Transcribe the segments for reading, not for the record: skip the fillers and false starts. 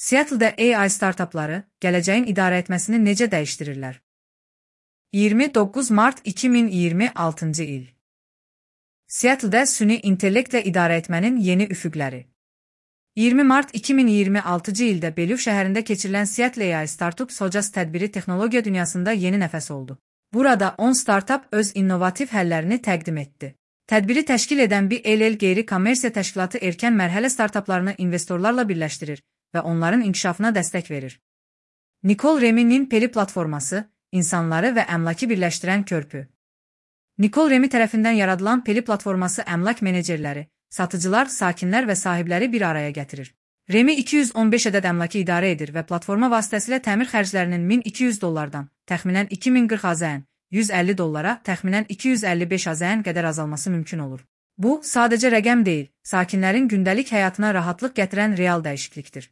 Seattle-də AI startapları gələcəyin idarə etməsini necə dəyişdirirlər? 29 mart 2026-cı il. Seattle-də süni intellektlə idarə etmənin yeni üfüqləri. 20 mart 2026-cı ildə Bellevue şəhərində keçirilən Seattle AI Startup Sojas tədbiri texnologiya dünyasında yeni nəfəs oldu. Burada 10 startap öz innovativ həllərini təqdim etdi. Tədbiri təşkil edən BLL qeyri-kommersiya təşkilatı erkən mərhələ startaplarını investorlarla birləşdirir və onların inkişafına dəstək verir. Nicole Remy'nin Peli platforması, insanları və əmlakı birləşdirən körpü. Nicole Remy tərəfindən yaradılan Peli platforması əmlak menecerləri, satıcılar, sakinlər və sahibləri bir araya gətirir. Remy 215 ədəd əmlakı idarə edir və platforma vasitəsilə təmir xərclərinin $1200 təxminən 2040 AZN, $150 təxminən 255 AZN qədər azalması mümkün olur. Bu, sadəcə rəqəm deyil, sakinlərin gündəlik həyatına rahatlıq gətirən real dəyişiklikdir.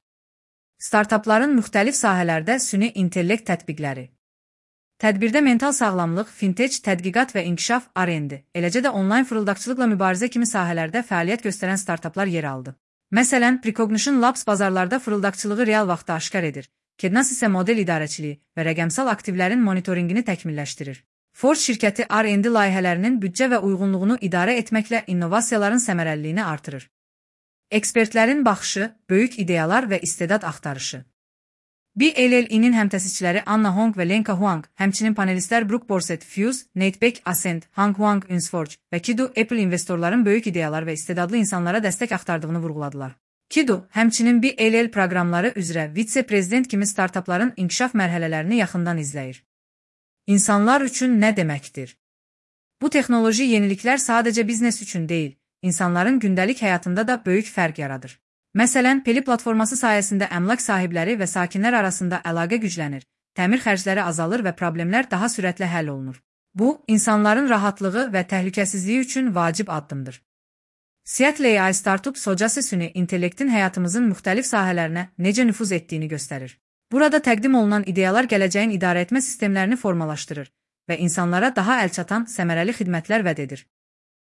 Startapların müxtəlif sahələrdə süni intellekt tətbiqləri. Tədbirdə mental sağlamlıq, fintech, tədqiqat və inkişaf R&D, eləcə də onlayn fırıldaqçılıqla mübarizə kimi sahələrdə fəaliyyət göstərən startaplar yer aldı. Məsələn, Precognition Labs bazarlarda fırıldaqçılığı real vaxtda aşkar edir, Kednas isə model idarəçiliyi və rəqəmsal aktivlərin monitorinqini təkmilləşdirir. Forge şirkəti R&D layihələrinin büdcə və uyğunluğunu idarə etməklə innovasiyaların səmərəliliyini artırır. Ekspertlərin baxışı, böyük ideyalar və istedad axtarışı. BLL-nin həmtəsisçiləri Anna Hong və Lenka Huang, həmçinin panelistlər Brooke Borset, Fuse, Nate Beck, Ascent, Hang Huang, Unsforge və Kido Apple investorların böyük ideyalar və istedadlı insanlara dəstək axtardığını vurğuladılar. Kido, həmçinin BLL proqramları üzrə vitse-prezident kimi startapların inkişaf mərhələlərini yaxından izləyir. İnsanlar üçün nə deməkdir? Bu texnoloji yeniliklər sadəcə biznes üçün deyil, insanların gündəlik həyatında da böyük fərq yaradır. Məsələn, Peli platforması sayəsində əmlak sahibləri və sakinlər arasında əlaqə güclənir, təmir xərcləri azalır və problemlər daha sürətlə həll olunur. Bu, insanların rahatlığı və təhlükəsizliyi üçün vacib addımdır. Seattle AI Startup Sojası süni intellektin həyatımızın müxtəlif sahələrinə necə nüfuz etdiyini göstərir. Burada təqdim olunan ideyalar gələcəyin idarə etmə sistemlərini formalaşdırır və insanlara daha əlçatan, səmərəli xidmətlər vəd edir.